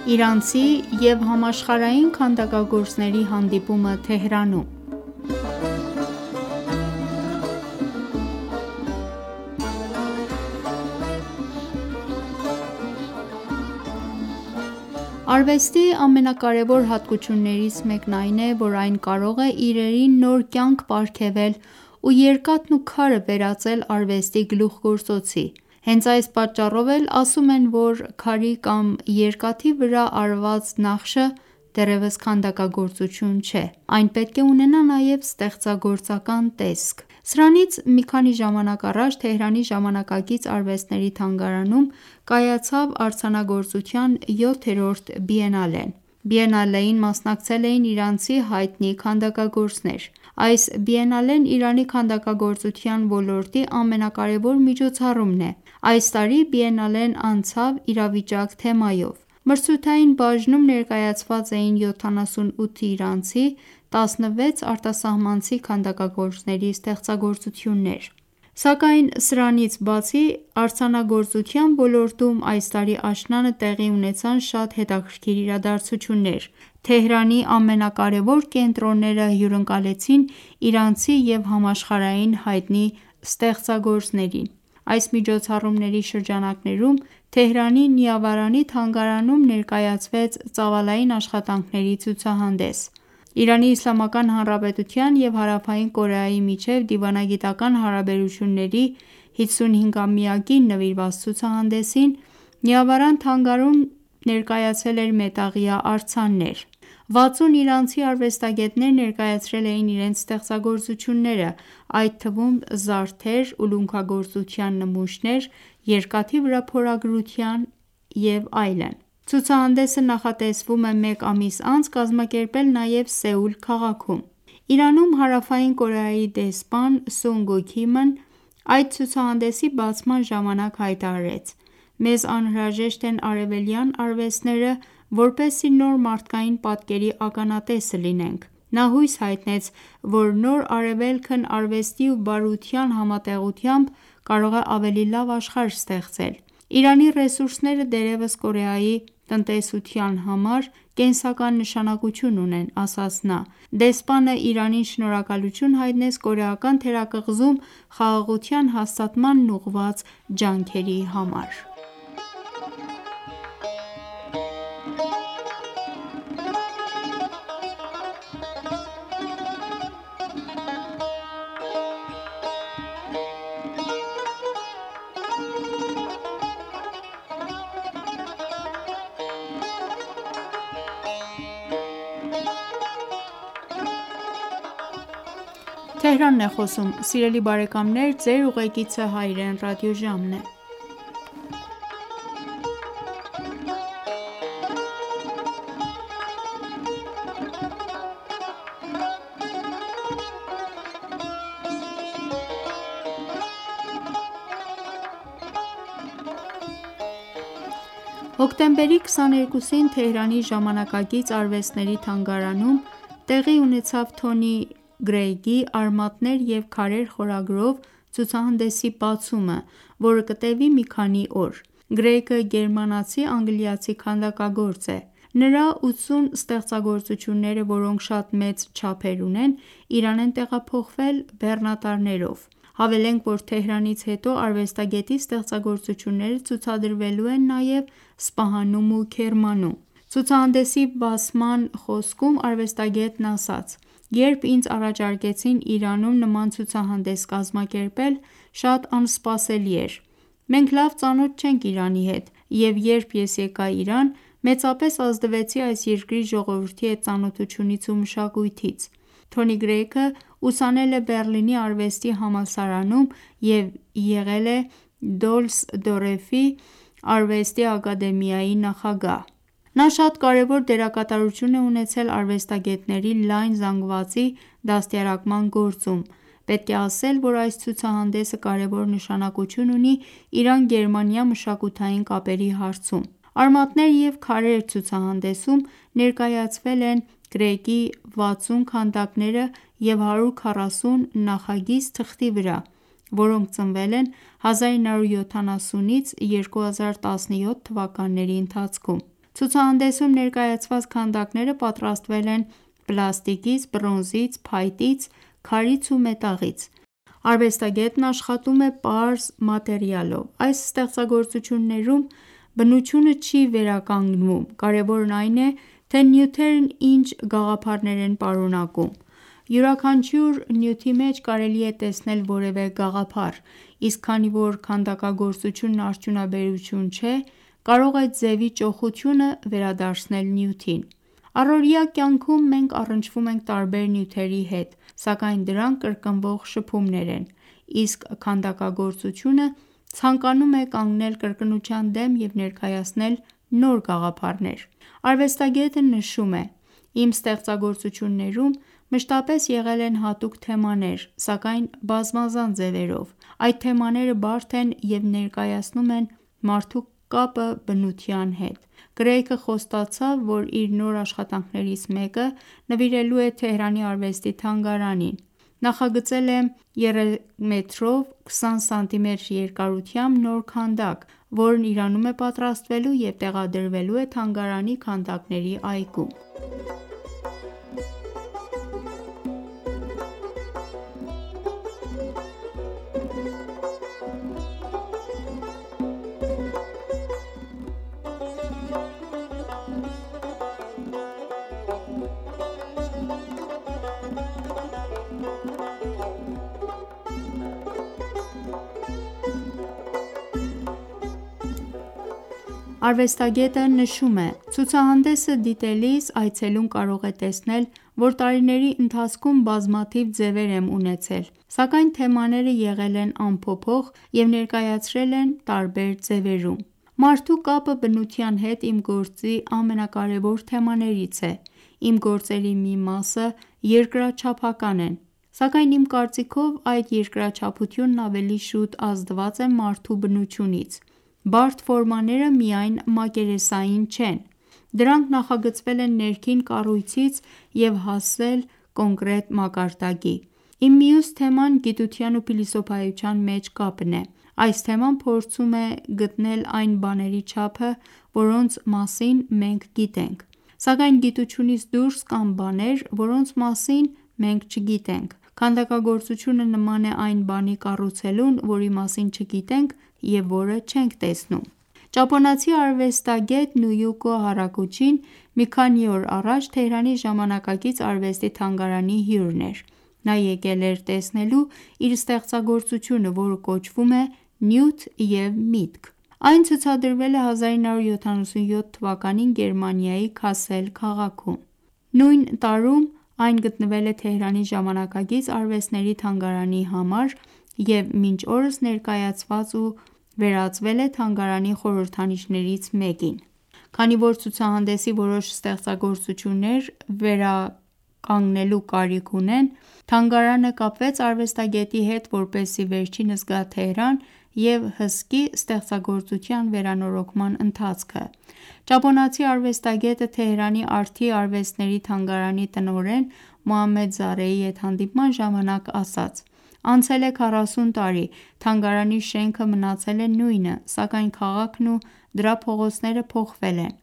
Իրանցի և համաշխարհային քանդակագործների հանդիպումը Թեհրանում Արվեստի ամենակարևոր հատկություններից մեկն այն է, որ այն կարող է իրերին նոր կյանք պարգևել ու երկաթն ու քարը վերածել արվեստի գլուխգործոցի: Հենց այս պատճառով էլ ասում են, որ քարի կամ երկաթի վրա արված նախշը դեռևս քանդակագործություն չէ: Այն պետք է ունենա նաև ստեղծագործական տեսք: Սրանից մի քանի ժամանակ առաջ Թեհրանի ժամանակակից արվեստների թանգարանում կայացավ արձանագործության 7-րդ բիենալեն: Բիենալեին մասնակցել էին իրանցի հայտնի քանդակագործներ: Այս բիենալեն Իրանի քանդակագործության ոլորտի ամենակարևոր միջոցառումն է: Այս տարի բիենալեն անցավ «Իրավիճակ» թեմայով: Մրցութային բաժնում ներկայացված էին 78 իրանցի, 16 արտասահմանցի քանդակագործների ստեղծագործություններ: Սակայն սրանից բացի արձանագործության ոլորտում այս տարի աշնանը տեղի ունեցան շատ հետաքրքիր իրադարձություններ: Թեհրանի ամենակարևոր կենտրոնները հյուրընկալեցին իրանցի և համաշխարհային հայտնի ստեղծագործներին: Այս միջոցառումների շրջանակներում Թեհրանի Նիավարանի թանգարանում ներկայացվեց ծավալային աշխատանքների ցուցահանդես: ԻԻՀ և Հարավային Կորեայի միջև դիվանագիտական հարաբերությունների 55-ամյակին նվիրված ցուցահանդեսին Նիավարան թանգարանում ներկայացել էր մետաղյա արձաններ: 60 իրանցի արվեստագետներ ներկայացրել էին իրենց ստեղծագործությունները, այդ թվում զարդեր, ուլունքագործության նմուշներ, երկաթի վրա փորագրության և այլն: Ցուցահանդեսը նախատեսվում է մեկ ամիս անց կազմակերպել նաև Սեուլ քաղաքում: Իրանում Հարավային Կորեայի դեսպան Սունգ Ու Քիմն այդ ցուցահանդեսի բացման ժամանակ հայտարարեց. «Մեզ անհրաժեշտ են արևելյան արվեստները, որպեսզի նոր մարդկային պատկերի ականատեսը լինենք»: Նա հույս հայտնեց, որ նոր Արևելքն արվեստի ու բարության համատեղությամբ կարող է ավելի լավ աշխարհ ստեղծել: Իրանի ռեսուրսները դեռևս Կորեայի տնտեսության համար կենսական նշանակություն ունեն, ասաց նա: Դեսպանը Իրանին շնորհակալություն հայտնեց կորեական թերակղզում խաղաղության հաստատմանն ուղղված ջանքերի համար: Հոկտեմբերի 22-ին Թեհրանի ժամանակակից արվեստների թանգարանում տեղի ունեցավ Թոնի Գրեյգի «Արմատներ և քարեր» խորագրով ցուցահանդեսի բացումը, որը կտևի մի քանի օր: Գրեյգը գերմանացի-անգլիացի քանդակագործ է: Նրա 80 ստեղծագործությունները, որոնք շատ մեծ չափեր ունեն, Իրան են տեղափոխվել բեռնատարներով: Հավելենք, որ Թեհրանից հետո արվեստագետի ստեղծագործությունները ցուցադրվելու են նաև Սպահանում ու Քերմանում: Ցուցահանդեսի բացման խոսքում արվեստագետն ասաց. «Երբ ինձ առաջարկեցին Իրանում նման ցուցահանդես կազմակերպել, շատ անսպասելի էր: Մենք լավ ծանոթ չենք Իրանի հետ և երբ ես եկա Իրան, մեծապես ազդվեցի այս երկրի ժողովրդի հետ ծանոթությունից ու մշակույթից»: Թոնի Գրեյգը ուսանել է Բեռլինի արվեստի համալսարանում և եղել է Դոլս-դո-Ռեֆի արվեստի ակադեմիայի նախագահ: Նա շատ կարևոր դերակատարություն է ունեցել արվեստագետների լայն զանգվածի դաստիարակման գործում: Պետք է ասել, որ այս ցուցահանդեսը կարևոր նշանակություն ունի Իրան-Գերմանիա մշակութային կապերի հարցում: «Արմատներ և քարեր» ցուցահանդեսում ներկայացվել են Գրեյգի 60 քանդակները և 140 նախագիծ թղթի վրա, որոնք ծնվել են 1970-2017 թվականների ընթացքում: Ցուցահանդեսում ներկայացված քանդակները պատրաստվել են պլաստիկից, բրոնզից, փայտից, քարից ու մետաղից։ Արվեստագետն աշխատում է պարզ մատերիալով։ Այս ստեղծագործություններում բնությունը չի վերականգնվում, կարևորն այն է, թե նյութերն ինչ գաղափարներ են պարունակում։ Յուրաքանչյուր նյութի մեջ կարելի է տեսնել որևէ գաղափար, իսկ քանի որ քանդակագործությունն արդյունաբերություն չէ, կարող է ձևի ճոխությունը վերադարձնել նյութին։ Առօրյա կյանքում մենք առնչվում ենք տարբեր նյութերի հետ, սակայն դրանք կրկնվող շփումներ են, իսկ քանդակագործությունը ցանկանում է կանգնել կրկնության դեմ և ներկայացնել նոր գաղափարներ։ Արվեստագետը նշում է. «Իմ ստեղծագործություններում մշտապես եղել են հատուկ թեմաներ, սակայն բազմազան ձևերով։ Այդ թեմաները բարդ են և ներկայացնում են մարդու կապը բնության հետ»։ Կրեյգը խոստացավ, որ իր նոր աշխատանքներից մեկը նվիրելու է Թեհրանի արվեստի թանգարանին։ Նախագծել է 3 մետրով 20 սմ երկարությամբ նոր քանդակ, որն Իրանում է պատրաստվելու և տեղադրվելու է թանգարանի քանդակների այգում։ Արվեստագետը նշում է. «Ցուցահանդեսը դիտելիս այցելուն կարող է տեսնել, որ տարիների ընթացքում բազմաթիվ ձևեր եմ ունեցել, սակայն թեմաները եղել են անփոփոխ և ներկայացրել են տարբեր ձևերում։ Մարդու կապը բնության հետ իմ գործի ամենակարևոր թեմաներից է։ Իմ գործերի մի մասը երկրաչափական են, սակայն իմ կարծիքով այդ երկրաչափությունն ավելի շուտ ազդված է մարդու բնությունից։ Բարդ ֆորմաները միայն մակերեսային չեն, դրանք նախագծվել են ներքին կառույցից և հասել կոնկրետ մակարդակի։ Իմ մյուս թեման գիտության ու փիլիսոփայության մեջ կապն է։ Այս թեման փորձում է գտնել այն բաների չափը, որոնց մասին մենք գիտենք, սակայն գիտությունից դուրս կան բաներ, որոնց մասին մենք չգիտենք։ Քանդակագործությունը նման է այն բանի կառուցելուն, որի մասին չգիտենք և որը չենք տեսնում»։ Ճապոնացի արվեստագետ Նոյուկո Հարակուչին մի քանի օր առաջ Թեհրանի Ժամանակակից արվեստի թանգարանի հյուրն էր։ Նա եկել էր տեսնելու իր ստեղծագործությունը, որը կոչվում է «Նյութ և միտք»։ Այն ցուցադրվել է 1977 թվականին Գերմանիայի Քասել քաղաքում։ Նույն տարում այն գտնվել է Թեհրանի Ժամանակակից արվեստների թանգարանի համար և մինչ օրս ներկայացված ու վերածվել է թանգարանի խորհրդանիշներից մեկին։ Քանի որ ցուցահանդեսի որոշ ստեղծագործություններ վերականգնելու կարիք ունեն, թանգարանը կապվեց արվեստագետի հետ, որպեսզի վերջինս գա Թեհրան և հսկի ստեղծագործության վերանորոգման ընթացքը։ Ճապոնացի արվեստագետը Թեհրանի Արտի արվեստների թանգարանի տնօրեն Մոհամմեդ Զարեի հետ հանդիպման ժամանակ ասաց. «Անցել է 40 տարի, թանգարանի շենքը մնացել է նույնը, սակայն քաղաքն ու դրա փողոցները փոխվել են»։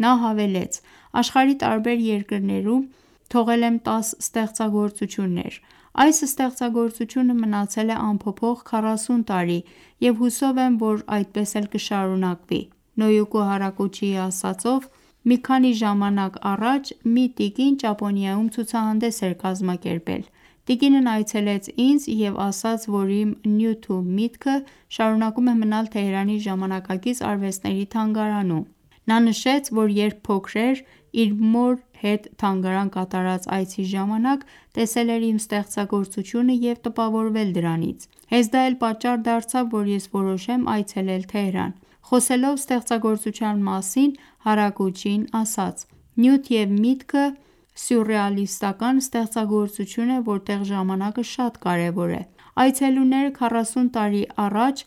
Նա հավելեց. «Աշխարհի տարբեր երկրներում թողել եմ 10 ստեղծագործություններ։ Այս ստեղծագործությունը մնացել է անփոփոխ 40 տարի և հուսով եմ, որ այդպես էլ կշարունակվի»։ Նոյուկո Հարակուչիի ասածով, մի քանի ժամանակ առաջ մի տիկին Ճապոնիայում ցուցահանդես էր կազմակերպել։ Տիկինն այցելեց ինձ և ասաց, որ իմ «Նյութ ու միտքը» շարունակում է մնալ Թեհրանի Ժամանակակից արվեստների թանգարանում։ Նա նշեց, որ երբ փոքր էր, իր մոր հետ թանգարան կատարած այցի ժամանակ տեսել էր իմ ստեղծագործությունը և տպավորվել դրանից։ Հենց դա էլ պատճառ դարձավ, որ ես որոշեմ այցելել Թեհրան։ Խոսելով ստեղծագործության մասին, Հարակուչին ասաց. «Նյութ և միտքը սյուրռեալիստական ստեղծագործություն է, որտեղ ժամանակը շատ կարևոր է։ Այցելուները 40 տարի առաջ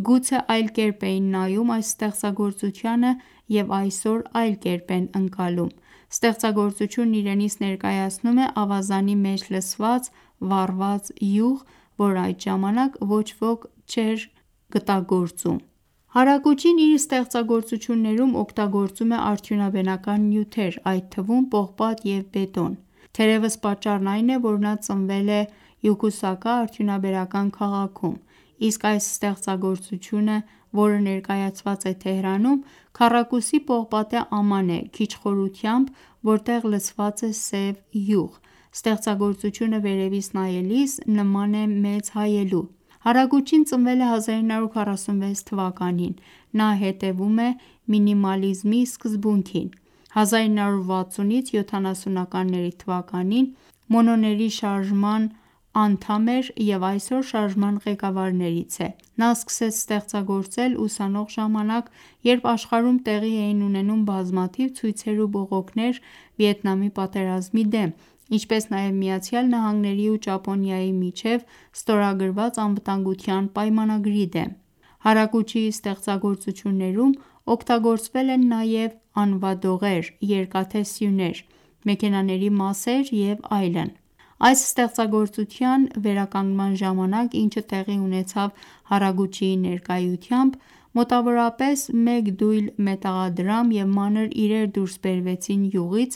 գուցե այլ կերպ էին նայում այս ստեղծագործությանը և այսօր այլ կերպ են ընկալում։ Ստեղծագործությունն իրենից ներկայացնում է ավազանի մեջ լցված վառված յուղ, որ այդ ժամանակ ոչ ոք չէր գտագործում»։ Հարակուչին իր ստեղծագործություններում օգտագործում է արդյունաբերական նյութեր, այդ թվում պողպատ և բետոն։ Թերևս պատճառն այն է, որ նա ծնվել է Յոկոսուկա արդյունաբերական քաղաքում, իսկ այս ստեղծագործությունը, որը ներկայացված է Թեհրանում, քառակուսի պողպատե աման է քիչ խորությամբ, որտեղ լցված է սև յուղ։ Ստեղծագործությունը վերևից նայելիս նման է մեծ հայելու։ Հարագուչին ծնվել է 1946 թվականին։ Նա հետևում է մինիմալիզմի սկզբունքին։ 1960-ից 70-ականների թվականին Մոնետների շարժման անդամ էր և այսօր շարժման ղեկավարներից է։ Նա սկսեց ստեղծագործել ուսանող ժամանակ, երբ աշխարհում տեղի էին ունենում բազմաթիվ ցույցեր ու բողոքներ Վիետնամի պատերազմի դեմ, ինչպես նաև ԱՄՆ-ի ու Ճապոնիայի միջև ստորագրված անվտանգության պայմանագրի դեմ։ Հարագուչիի ստեղծագործություններում օգտագործվել են նաև անվադողեր, երկաթե սյուներ, մեքենաների մասեր և այլն։ Այս ստեղծագործության վերականգնման ժամանակ, ինչը տեղի ունեցավ Հարագուչիի ներկայությամբ, մոտավորապես 1 դույլ մետաղադրամ և մանր իրեր դուրս բերվեցին յուղից,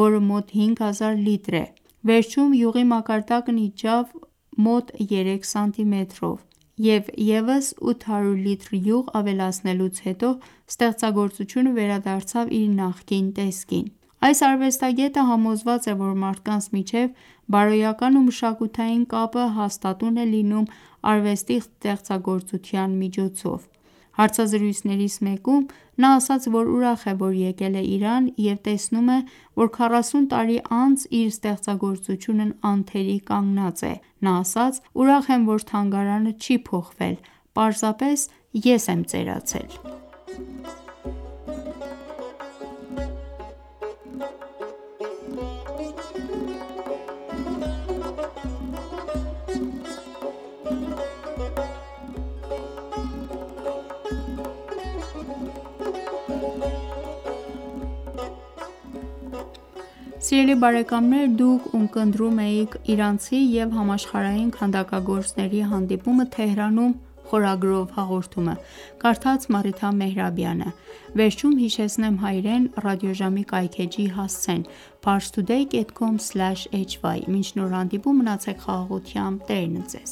որը մոտ 5000 լիտր է։ Վերջում յուղի մակարդակն իջավ մոտ 3 սանտիմետրով, և ևս 800 լիտր յուղ ավելացնելուց հետո ստեղծագործությունը վերադարձավ իր նախկին տեսքին։ Այս արվեստագետը համոզված է, որ մարդկանց միջև բարոյական ու մշակութային կապը հաստատուն է լինում արվեստի ստեղծագործության միջոցով։ Հարցազրույցներից մեկում նա ասաց, որ ուրախ է, որ եկել է Իրան և տեսնում է, որ 40 տարի անց իր ստեղծագործությունն անթերի կանգնած է։ Նա ասաց. «Ուրախ եմ, որ թանգարանը չի փոխվել, պարզապես ես եմ ծերացել»։ Սիրելի բարեկամներ, դուք ունկնդրում էիք «Իրանցի և համաշխարհային քանդակագործների հանդիպումը Թեհրանում» խորագրով հաղորդումը, կարդաց Մարիթա Մեհրաբյանը։ Վերջում հիշեցնեմ հայրեն ռադիոժամի կայքէջի հասցեն՝ parstoday.com/hy: Մինչ նոր հանդիպում, մնացեք խաղաղությամբ, Տերն ընդ ձեզ։